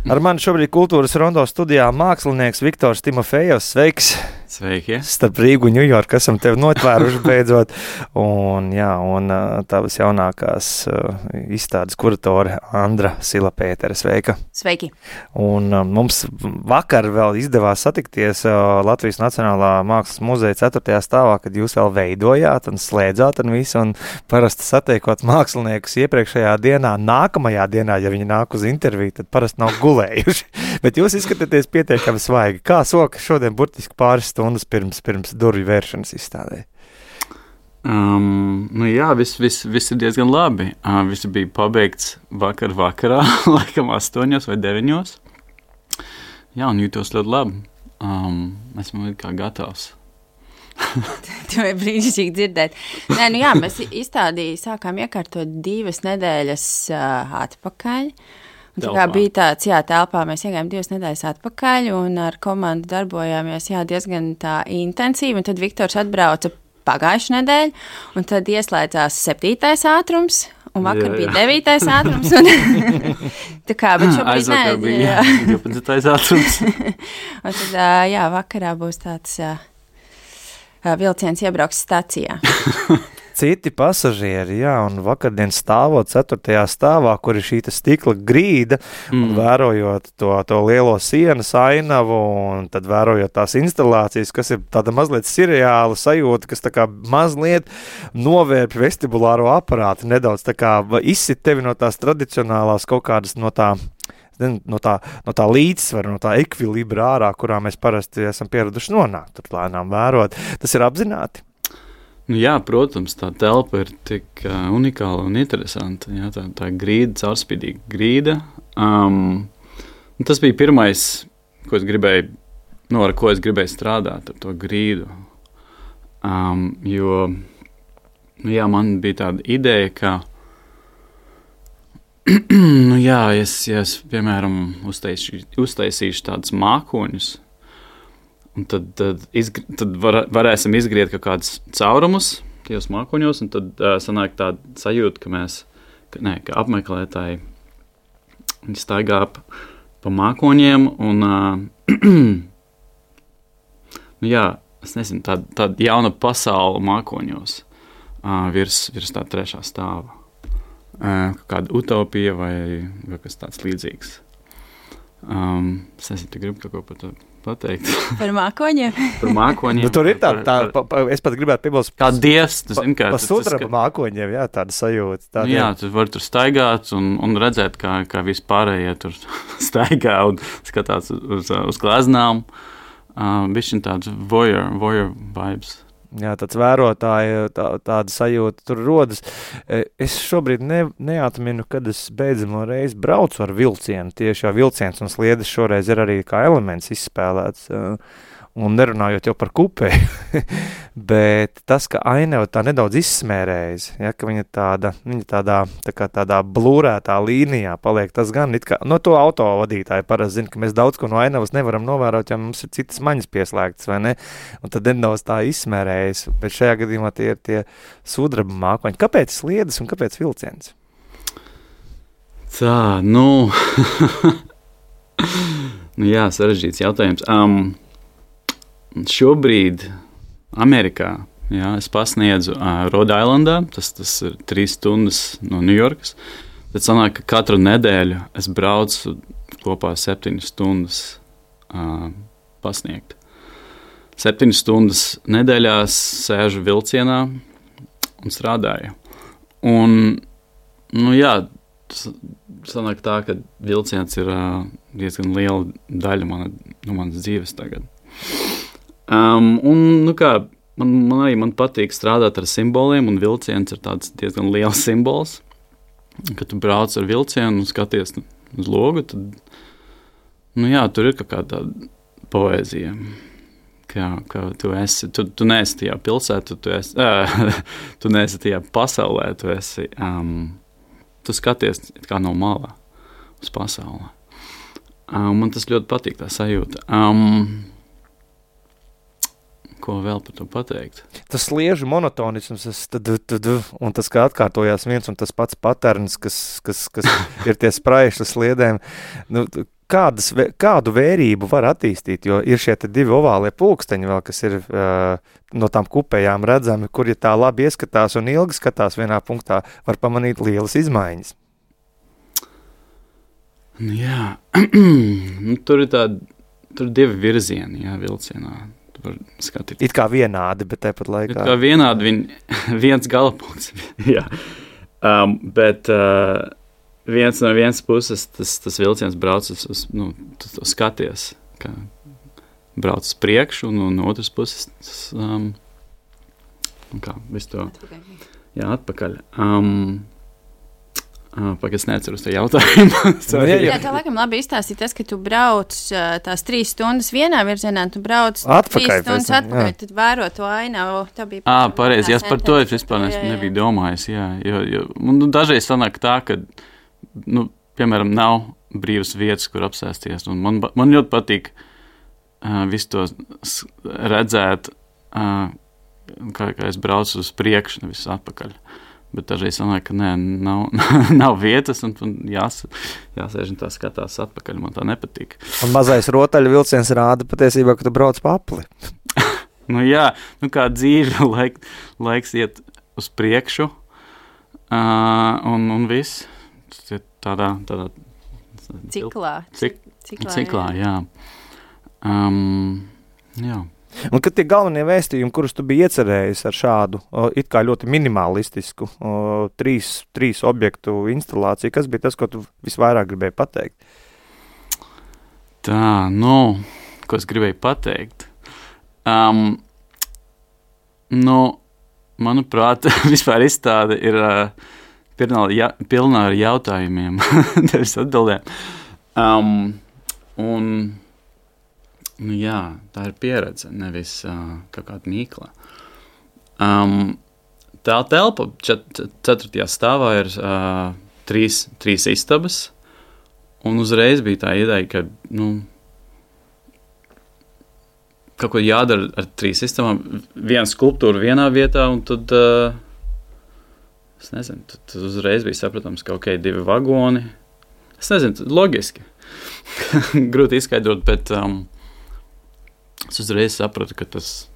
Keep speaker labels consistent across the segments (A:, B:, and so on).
A: Ar mani šobrīd Kultūras Rondo studijā mākslinieks Viktors Timofejovs. Sveiks!
B: Sveiki!
A: Starp Rīgu un Ņujorku esam tevi notvēruši beidzot. Un tavas jaunākās izstādes kuratore Andra Sila-Pētere. Sveika!
C: Sveiki!
A: Un mums vakar vēl izdevās satikties Latvijas Nacionālā Mākslas muzeja 4. stāvā, kad jūs vēl veidojāt un slēdzāt un visu. Un parasti satiekot māksliniekus iepriekšējā dienā, nākamajā dienā, ja viņi nāk uz interviju, tad parasti nav gulējuši. Bet jūs izskatāties pietiekami svaigi. Kā soka šodien burtiski pāris stundas pirms durvju vēršanas izstādē?
B: Viss ir diezgan labi. Viss bija pabeigts vakarā, laikam 8 vai 9. Jā, un jūtos ļoti labi. Esmu kā gatavs.
C: To ir brīnišķīgi dzirdēt. Mēs izstādī sākām iekārtot 2 nedēļas atpakaļ. Bija tāds, telpā mēs iegājām 2 nedēļas atpakaļ un ar komandu darbojāmies diezgan tā intensīvi. Un tad Viktors atbrauca pagājušu nedēļu un tad ieslēdzās 7. ātrums un vakar bija 9. ātrums. Bet šobrīd
B: aizvakar bija 12. ātrums.
C: Un tad, vakarā būs tāds vilciens iebrauks stacijā.
A: Citi pasažieri, un vakardien stāvot 4. stāvā, kur ir šī stikla grīda, un vērojot to lielo sienas ainavu, un tad vērojot tās instalācijas, kas ir tāda mazliet seriāla sajūta, kas tā kā mazliet novērp vestibulāro aparātu, nedaudz tā kā izsit tevi no tās tradicionālās kaut kādas no tā līdzsvara, no tā ekvilibra ārā, kurā mēs parasti esam pieraduši nonākt, tur lēnām vērot. Tas ir apzināti?
B: Jā, protams, tā telpa ir tik unikāla un interesanta. Jā, tā grīda, caurspīdīga grīda. Tas bija pirmais, ko es gribēju, ar ko es gribēju strādāt, ar to grīdu. Man bija tāda ideja, ka es piemēram, uztaisīšu tādus mākoņus, un tad varēsim izgriet kaut kādus caurumus tajos mākoņos, un tad sanāk tāda sajūta, ka apmeklētāji viņi staigā pa mākoņiem, un es nezinu, tāda jauna pasaule mākoņos virs tā 3. stāva. Kāda utopija vai kas tāds līdzīgs. Es nezinu, tu gribi kaut ko par to pateikt.
C: Par mākoņiem?
B: Par mākoņiem.
A: Tur ir es pat gribētu piebilst.
B: Kā dievs, tu zini, kā.
A: Pa sudraba mākoņiem, tāda sajūta.
B: Tu vari tur staigāt un redzēt, kā vispārējie tur staigā un skatās uz gleznām. Bišķiņ tāds voyeur vibes.
A: Jā, tāds vērotāji, tāda sajūta tur rodas. Es šobrīd neatminu, kad es beidzamo reizi braucu ar vilcienu. Tieši vilciens un sliedes šoreiz ir arī kā elements izspēlēts. Un nerunājot jau par kupēju, bet tas, ka ainava tā nedaudz izsmērējas, ka viņa tādā blūrētā līnijā paliek, tas gan it kā, to autovadītāji parasti zina, ka mēs daudz ko no ainavas nevaram novērot, ja mums ir citas maņas pieslēgtas, vai ne? Un tad nedaudz tā izsmērējas, bet šajā gadījumā tie ir tie sudraba mākoņi. Kāpēc sliedes un kāpēc vilciens?
B: Sarežģīts jautājums. Šobrīd Amerikā, es pasniedzu Rhode Islandā, tas ir 3 stundas no Ņujorkas. Tad sanāk, ka katru nedēļu es braucu kopā 7 stundas pasniegt. 7 stundas nedēļās sēžu vilcienā un strādāju. Un, sanāk tā, ka vilciens ir diezgan liela daļa manas dzīves tagad. Man patīk strādāt ar simboliem, un vilciens ir tāds diezgan liels simbols. Kad tu brauc ar vilcienu un skaties uz logu, tad, tur ir kaut kāda poēzija. Ka tu neesi tajā pilsētā, tu neesi tajā pasaulē, tu skaties kā no malā uz pasauli. Man tas ļoti patīk, tā sajūta. Ko vēl par to pateikt?
A: Tas sliežu monotonisms, un tas, kā atkārtojās viens un tas pats paterns, kas ir tie spraiši sliedēm. kādu vērību var attīstīt, jo ir šie 2 ovālie pulksteņi vēl, kas ir no tām kupējām redzami, kur, ja tā labi ieskatās un ilgi skatās vienā punktā, var pamanīt lielas izmaiņas.
B: Jā, tur ir 2 virzieni, jā, vilcienā.
A: It kā vienādi, bet tāpat laikā.
B: It kā vienādi, viens galapunkts, jā. Bet viens no vienas puses tas vilciens brauc tu skaties, ka brauc uz priekšu, un no otras puses visu to atpakaļ. Es neceru uz to jautājumu.
C: Jā, tā laikam labi izstāstīt tas, ka tu brauc tās 3 stundas vienā virzienā, tu brauc
A: atpakaļ,
C: 3 stundas atpakaļ, tad vēro to ainavu.
B: Pareizi, par to es vispār nebiju domājis, jā. Jo dažreiz sanāk tā, ka, piemēram, nav brīvas vietas, kur apsēsties, un man ļoti patīk visu to redzēt, kā es braucu uz priekšu, nevis atpakaļ. Bet dažreiz sanāk, ka nav vietas, un jāsēž un tā skatās atpakaļ. Man tā nepatīk.
A: Un mazais rotaļu vilciens rāda patiesībā, ka tu brauc pa apli.
B: Jā, kā dzīve, laiks iet uz priekšu, un viss. Tas ir tādā ciklā, jā. Jā.
A: Un kad tie galvenie vēstījumi, kurus tu biji iecerējis ar šādu, it kā ļoti minimalistisku 3 objektu instalāciju, kas bija tas, ko tu visvairāk gribēji pateikt?
B: Ko es gribēju pateikt? Manuprāt, vispār izstāde ir pilnā ar jautājumiem, tevis atbildēm. Jā, tā ir pieredze, nevis kaut kāda mīkla. Tā telpa 4. stāvā ir 3 istabas, un uzreiz bija tā ideja, ka kaut ko jādara ar 3 istabām, viena skulptūra vienā vietā, un tad, es nezinu, tad uzreiz bija saprotams, ka 2 vagoni. Es nezinu, loģiski. Grūti izskaidrot, bet es uzreiz sapratu, ka tas,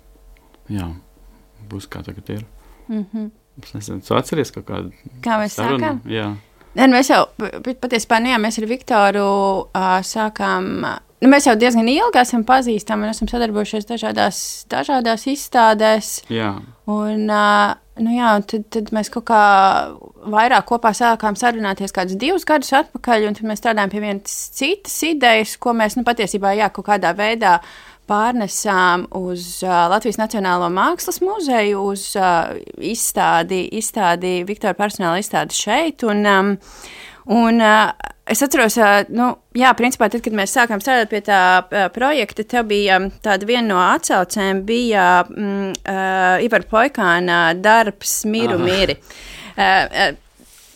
B: būs kā tagad ir. Es nezinu, tu atceries kaut kādu
C: kā mēs
B: sarunu?
C: Sākām?
B: Jā.
C: Mēs jau, patiesībā, mēs ar Viktoru sākām, mēs jau diezgan ilgi esam pazīstami un esam sadarbojušies dažādās izstādēs.
B: Jā.
C: Un, tad mēs kaut kā vairāk kopā sākām sarunāties kādus 2 gadus atpakaļ, un tad mēs strādājām pie vienas citas idejas, ko mēs, patiesībā, kaut kādā veidā pārnesām uz Latvijas Nacionālo mākslas muzeju, uz izstādi Viktora personāla izstādi šeit. Un es atceros, principā, tad, kad mēs sākām strādāt pie tā projekta, tev bija tāda viena no atsaucēm, bija Ivara Poikāna darbs Miru Miri.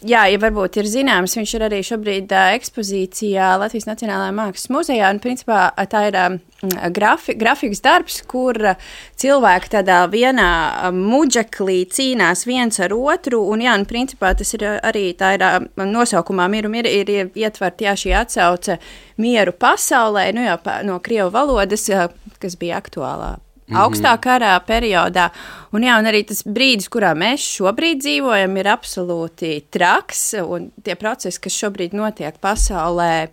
C: Jā, ja varbūt ir zināms, viņš ir arī šobrīd ekspozīcijā Latvijas Nacionālajā mākslas muzejā, un principā tā ir grafikas darbs, kur cilvēki tādā vienā muģeklī cīnās viens ar otru, un principā tas ir arī, tā ir nosaukumā Miru Miri, ir ietvert šī atsauce mieru pasaulē, no krievu valodas, kas bija aktuālā augstā karā periodā. Un arī tas brīdis, kurā mēs šobrīd dzīvojam, ir absolūti traks, un tie procesi, kas šobrīd notiek pasaulē,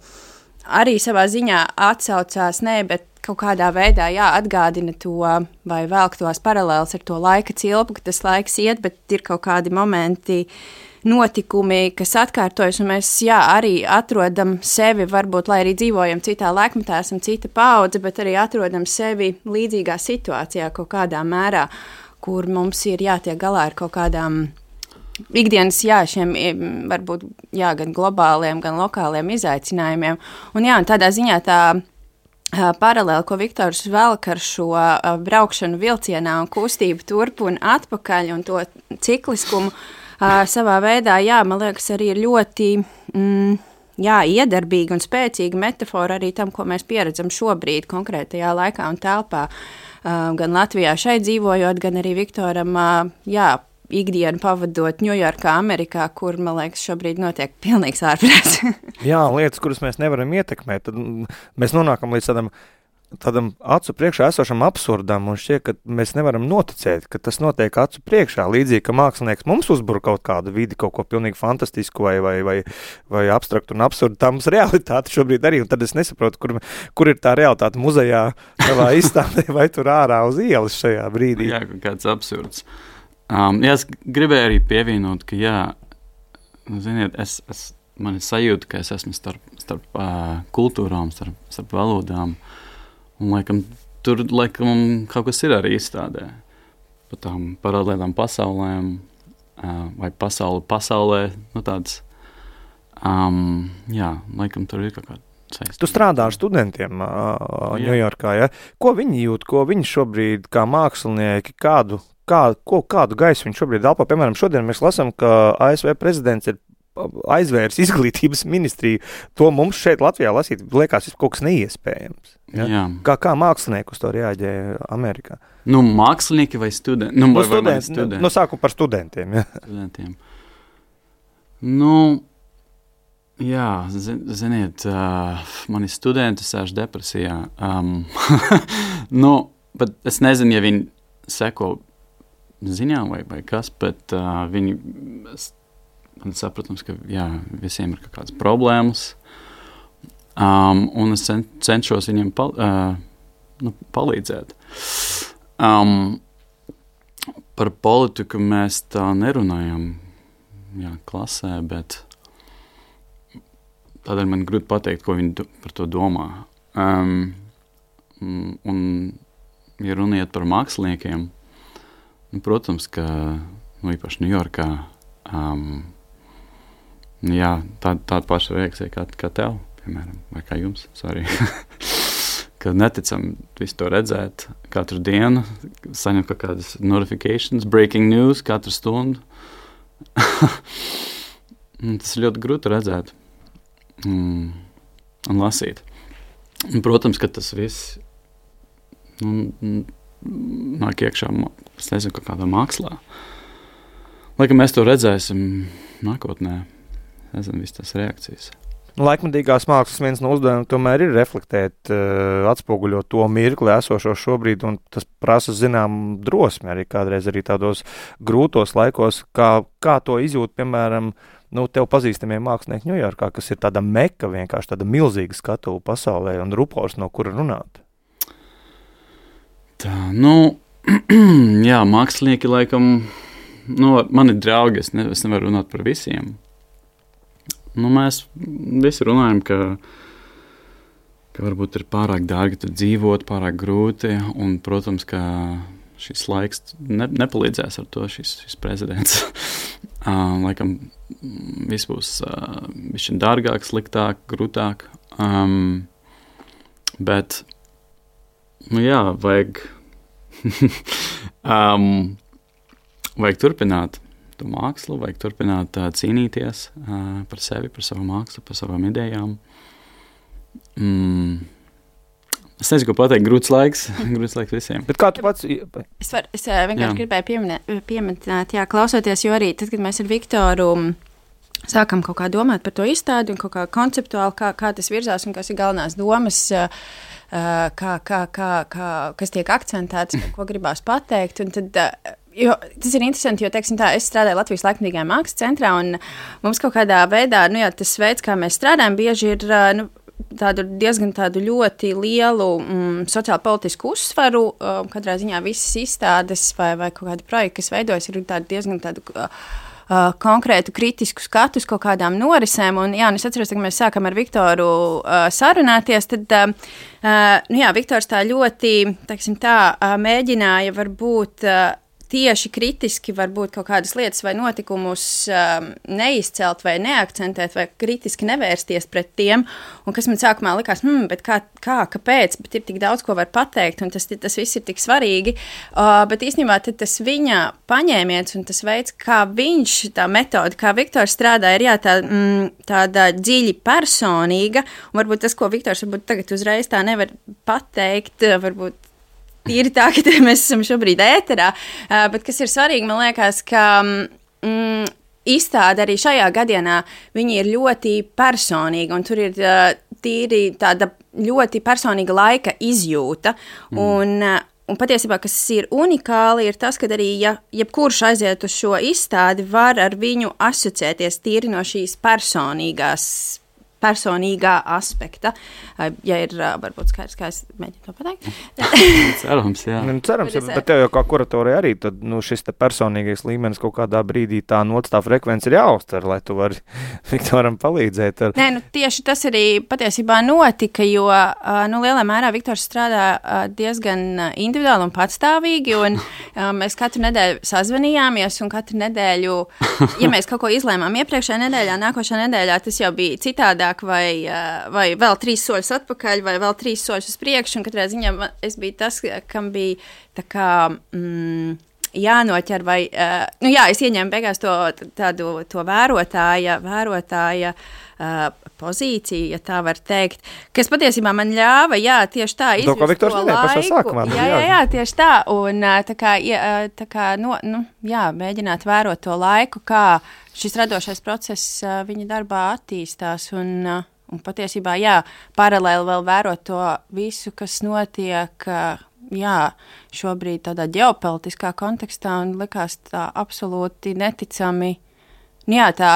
C: arī savā ziņā atsaucās, bet kaut kādā veidā atgādina to, vai velk tos paralēlus ar to laika cilpu, ka tas laiks iet, bet ir kaut kādi momenti, notikumi, kas atkārtojas, un mēs arī atrodam sevi, varbūt, lai arī dzīvojam citā laikmetā, esam cita paudze, bet arī atrodam sevi līdzīgā situācijā kaut kādā mērā, kur mums ir jātiek galā ar kaut kādām ikdienas, šiem varbūt, gan globāliem, gan lokāliem izaicinājumiem. Un tādā ziņā tā paralēli, ko Viktors velk ar šo braukšanu vilcienā un kustību turp un atpakaļ un to cikliskumu, savā veidā, man liekas, arī ir ļoti iedarbīga un spēcīga metafora arī tam, ko mēs pieredzam šobrīd konkrētajā laikā un telpā. Gan Latvijā šeit dzīvojot, gan arī Viktoram, ikdienu pavadot Ņujorkā, Amerikā, kur, man liekas, šobrīd notiek pilnīgs ārprāts.
A: Jā, lietas, kuras mēs nevaram ietekmēt, tad mēs nonākam līdz tādam acu priekšā esošam absurdam, un šķiet, ka mēs nevaram noticēt, ka tas notiek acu priekšā, līdzīgi, ka mākslinieks mums uzbur kaut kādu vidi, kaut ko pilnīgi fantastisku vai abstraktu un absurdu, tā mums realitāte šobrīd arī, un tad es nesaprotu, kur ir tā realitāte muzejā, savā izstādē, vai tur ārā uz ielas šajā brīdī.
B: Jā, kāds absurds. Jā, es gribēju arī pievienot, ka jā, ziniet, man ir sajūta, ka es esmu starp kultūrām, starp valodām, un tur kaut kas ir arī izstādē. Par tām paralēlām pasaulēm, vai pasaulē, tāds, jā, tur ir kaut kāda saistība.
A: Tu strādā ar studentiem Ņujorkā, ja? Ko viņi jūt, ko viņi šobrīd kā mākslinieki, kādu gaisu viņi šobrīd elpo? Piemēram, šodien mēs lasām, ka ASV prezidents ir aizvērs izglītības ministriju. To mums šeit Latvijā lasīt, liekas, kaut kas neiespējams. Ja? Jā. Kā mākslinieki uz to reaģē Amerikā?
B: Mākslinieki vai studenti? Studenti.
A: Sāku par studentiem. Ja?
B: Studentiem. Jā, ziniet, mani studenti sēž depresijā. Bet es nezinu, ja viņi seko ziņām vai kas, bet man saprotams, ka jā, visiem ir kaut kādas problēmas, un es cenšos viņiem palīdzēt. Par politiku mēs tā nerunājam klasē, bet tādēļ man grūti pateikt, ko viņi par to domā. Un, ja runiet par māksliniekiem, protams, ka īpaši Ņujorkā tāda paša reakcija kā tev, piemēram, vai kā jums, sorry. Kad neticam visu to redzēt katru dienu, saņem kaut kādas notifications, breaking news katru stundu. Tas ir ļoti grūti redzēt un lasīt. Un, protams, ka tas viss nāk iekšā, es nezinu, kaut kādā mākslā. Laikam mēs to redzēsim nākotnē. Nezinu, visas tās reakcijas.
A: Laikmatīgās mākslas viens no uzdevumiem tomēr ir reflektēt, atspoguļot to mirkli esošo šobrīd, un tas prasa zinām drosmi arī kādreiz arī tādos grūtos laikos, kā to izjūt, piemēram, tev pazīstamie mākslinieki Ņujorkā, kas ir tāda meka, vienkārši tāda milzīga skatuve pasaulē un rupors, no kura runāt.
B: Tā, jā, mākslinieki laikam, mani draugi, es nevaru runāt par visiem. Mēs visi runājam, ka varbūt ir pārāk dārgi tur dzīvot, pārāk grūti, un, protams, ka šis laiks nepalīdzēs ar to, šis prezidents. Laikam viss būs bišķiņ dārgāk, sliktāk, grūtāk, bet, jā, vajag turpināt to mākslu, vajag turpināt cīnīties par sevi, par savu mākslu, par savām idejām. Es nezinu, ko pateikt, grūts laiks visiem.
A: Bet kā tu pats?
C: Es vienkārši gribēju pieminēt, klausoties, jo arī tad, kad mēs ar Viktoru sākam kaut kā domāt par to izstādi un kaut kā konceptuāli, kā tas virzās un kas ir galvenās domas, kas tiek akcentēts, ko gribās pateikt, un tad jo tas ir interesanti, jo, teiksim tā, es strādāju Latvijas laikmatīgajā mākslas centrā, un mums kaut kādā veidā, tas veids, kā mēs strādājam, bieži ir, diezgan tādu ļoti lielu sociāli-politisku uzsvaru. Katrā ziņā visas izstādes vai kaut kādi projekti, kas veidojas, ir diezgan tādu konkrētu kritisku skatus kaut kādām norisēm. Un es atceros, ka mēs sākam ar Viktoru sarunāties, tad, Viktors tā ļoti, teiksim tā, mēģināja varbūt tieši kritiski varbūt kaut kādas lietas vai notikumus neizcelt vai neakcentēt vai kritiski nevērsties pret tiem, un kas man sākumā likās, bet kāpēc, bet ir tik daudz, ko var pateikt, un tas viss ir tik svarīgi, bet īstenībā tad tas viņa paņēmiens un tas veids, kā viņš, tā metode, kā Viktors strādā, ir tāda dziļi personīga, un varbūt tas, ko Viktors varbūt tagad uzreiz tā nevar pateikt, varbūt tīri tā, ka mēs esam šobrīd ēterā, bet kas ir svarīgi, man liekas, ka izstāde arī šajā gadienā, viņi ir ļoti personīgi, un tur ir tīri tāda ļoti personīga laika izjūta, un patiesībā, kas ir unikāli, ir tas, ka arī, ja jebkurš aiziet uz šo izstādi, var ar viņu asociēties tīri no šīs personīgā aspekta. Ja ir varbūt skaidrs, kā es mēģinu to pateikt.
B: Cerams, jā.
A: Cerams, bet tev jau kā kuratorija arī, tad šis te personīgais līmenis kaut kādā brīdī tā nots, tā frekvence ir jāuztver, lai tu vari Viktoram palīdzēt.
C: Nē, tieši tas arī patiesībā notika, jo, lielā mērā Viktors strādā diezgan individuāli un patstāvīgi, un mēs katru nedēļu sazvanījāmies, un katru nedēļu, ja mēs kaut ko izlēmām iepriekšējā nedēļā, nākošā nedēļā, tas jau bija citādāk, vai vēl 3 soļus atpakaļ, vai vēl 3 soļus uz priekšu, un katrā ziņā es biju tas, kam bija tā kā jānoķer, vai, es ieņēmu beigās to vērotāja pozīciju, ja tā var teikt, kas patiesībā man ļāva, tieši tā, izjust to laiku. Jā, tieši tā, un mēģināt vērot to laiku, kā šis radošais process viņa darbā attīstās, un patiesībā, paralēli vēl vērot to visu, kas notiek, šobrīd tādā ģeopolitiskā kontekstā, un likās tā absolūti neticami, tā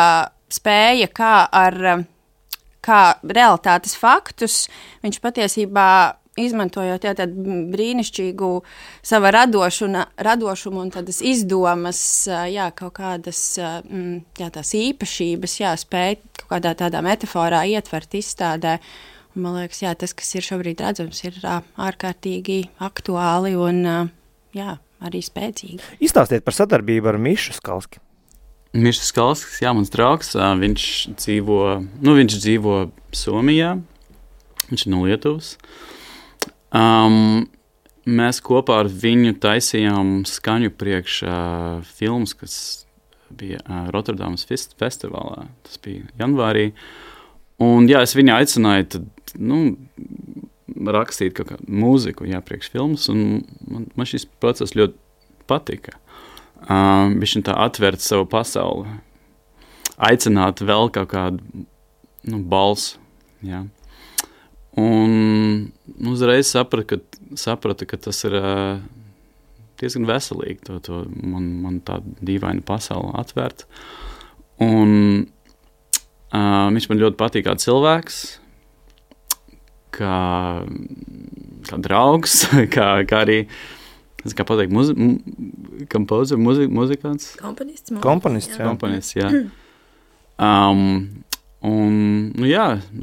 C: spēja, kā realitātes faktus, viņš patiesībā izmantojot tādu brīnišķīgu sava radošumu un tādas izdomas, kaut kādas tās īpašības, spēja kaut kādā tādā metaforā ietvert izstādē. Un, man liekas, tas, kas ir šobrīd redzams, ir ārkārtīgi aktuāli un arī spēcīgi.
A: Izstāstiet par sadarbību ar Mišu Skalski.
B: Mišs Skalskis, mans draugs, viņš dzīvo Somijā, viņš ir no Lietuvas. Mēs kopā ar viņu taisījām skaņu priekš filmas, kas bija Rotterdamas festivālā, tas bija janvārī. Un, es viņu aicināju tad, rakstīt kaut kādu mūziku, priekš filmas, un man šis process ļoti patika. Viņš tā atvērt savu pasauli, aicināt vēl kaut kādu balsu, Un uzreiz sapratu, ka tas ir diezgan veselīgi, man tā dīvaina pasaule atvērt. Un viņš man ļoti patīk kā cilvēks, kā draugs, kā arī, kā pateikt, kompozer, muzikants.
C: Komponists,
B: jā.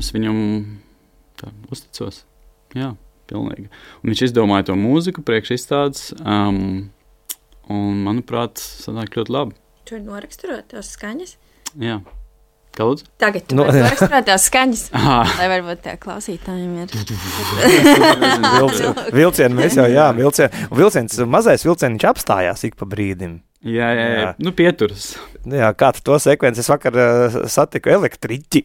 B: Es viņam tā uzticos. Jā, pilnīgi. Un viņš izdomāja to mūziku priekš izstādes, un, manuprāt, sanāk ļoti labi.
C: Tu vari noraksturot tās skaņas?
B: Jā. Kā lūdzu?
C: Tagad tu vari noraksturot tās skaņas, lai varbūt tā klausītājiem ir.
A: Vilcieni mēs jau, vilciens, mazais vilcieniņš apstājās ik pa brīdim.
B: Jā. Pieturas.
A: Kā tu to sekvenci? Es vakar satiku elektriķi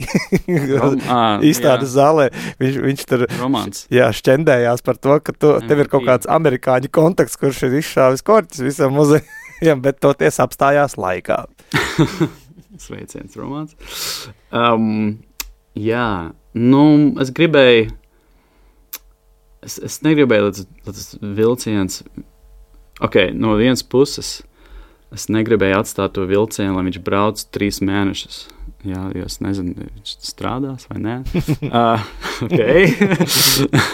A: izstādes zālē. Viņš tur šķendējās par to, ka tev ir kaut kāds amerikāņu kontakts, kurš ir izšāvis korķis visam muzejam, bet toties apstājās laikā.
B: Sveiciens, Romāns. Es gribēju, es negribēju, lai tas vilciens, no vienas puses, es negribēju atstāt to vilcienu, lai viņš brauc 3 mēnešus. Jo es nezinu, viņš strādās vai nē.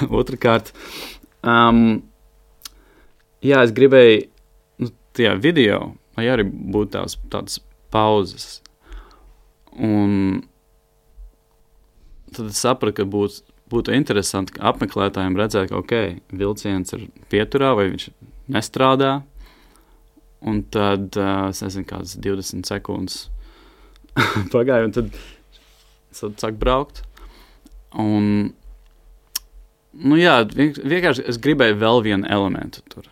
B: Otrakārt. Es gribēju, tajā video, lai arī būtu tādas pauzes. Un tad es sapratu, ka būtu interesanti apmeklētājiem redzēt, ka vilciens ir pieturā vai viņš nestrādā. Un tad, es nezinu, kādas 20 sekundes pagāja, un tad sāk braukt. Un, vienkārši es gribēju vēl vienu elementu tur.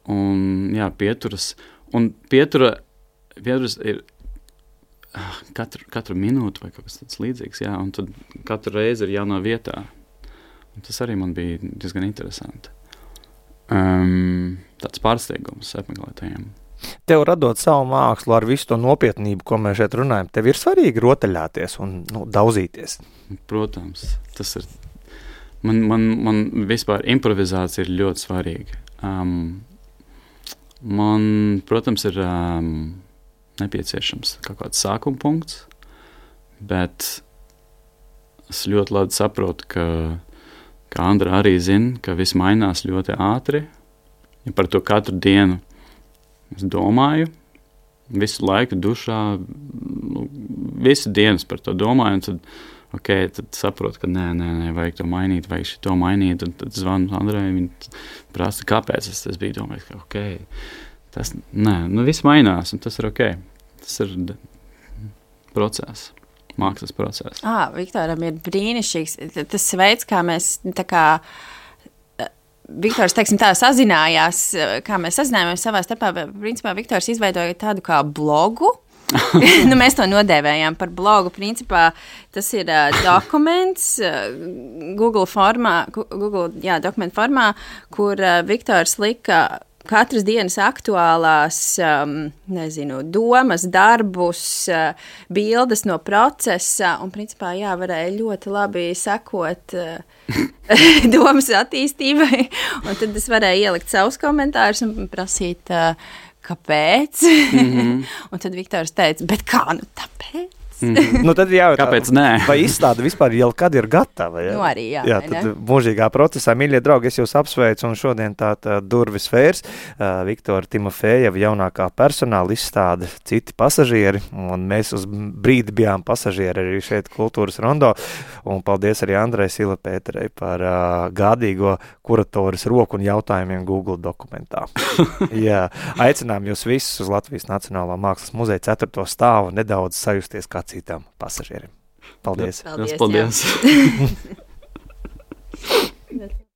B: Un, pieturas. Un pieturas ir katru minūtu vai kaut kas tāds līdzīgs, un tad katru reizi ir jaunā vietā. Un tas arī man bija diezgan interesanti. tāds pārsteigums apmeklētājiem.
A: Tev radot savu mākslu ar visu to nopietnību, ko mēs šeit runājam, tev ir svarīgi rotaļāties un daudzīties.
B: Protams, tas ir. Man vispār improvizācija ir ļoti svarīga. Man, protams, ir nepieciešams kaut kāds sākuma punkts, bet es ļoti labi saprotu, ka Andra arī zina, ka viss mainās ļoti ātri. Ja par to katru dienu es domāju, visu laiku dušā, visu dienas par to domāju, un tad saprotu, ka nē, vajag to mainīt, vajag šito mainīt, un tad zvanu Andrai, viņa prasa, kāpēc es biju domājis, ka tas, viss mainās, un tas ir tas ir process, mākslas process.
C: Viktoram ir brīnišķīgs, tas veids, kā mēs tā kā Viktors, teiksim tā, sazinājās, kā mēs sazinājāmies savā starpā, principā Viktors izveidoja tādu kā blogu. Mēs to nodēvējām par blogu. Principā tas ir dokuments Google dokumentu formā, kur Viktors lika katras dienas aktuālās, domas, darbus, bildes no procesa, un principā, varēja ļoti labi sekot domas attīstībai, un tad es varēju ielikt savus komentārus un prasīt, kāpēc, un tad Viktors teica, bet kā, tāpēc?
A: Tad
B: kāpēc nē?
A: Vai izstāde vispār jau kad ir gatava? Ja?
C: Arī,
A: tad mūžīgā procesā, mīļie draugi, es jūs apsveicu, un šodien tā durvis vērs Viktora Timofejeva jaunākā personāla izstāde Citi pasažieri, un mēs uz brīdi bijām pasažieri arī šeit Kultūras rondo, un paldies arī Andrai Silapēterei par gādīgo kuratoras roku un jautājumiem Google dokumentā. Aicinām jūs visus uz Latvijas Nacionālā mākslas muzeja 4. stāvu nedaudz sajusties kā citam pasažierim. Paldies!
B: Paldies!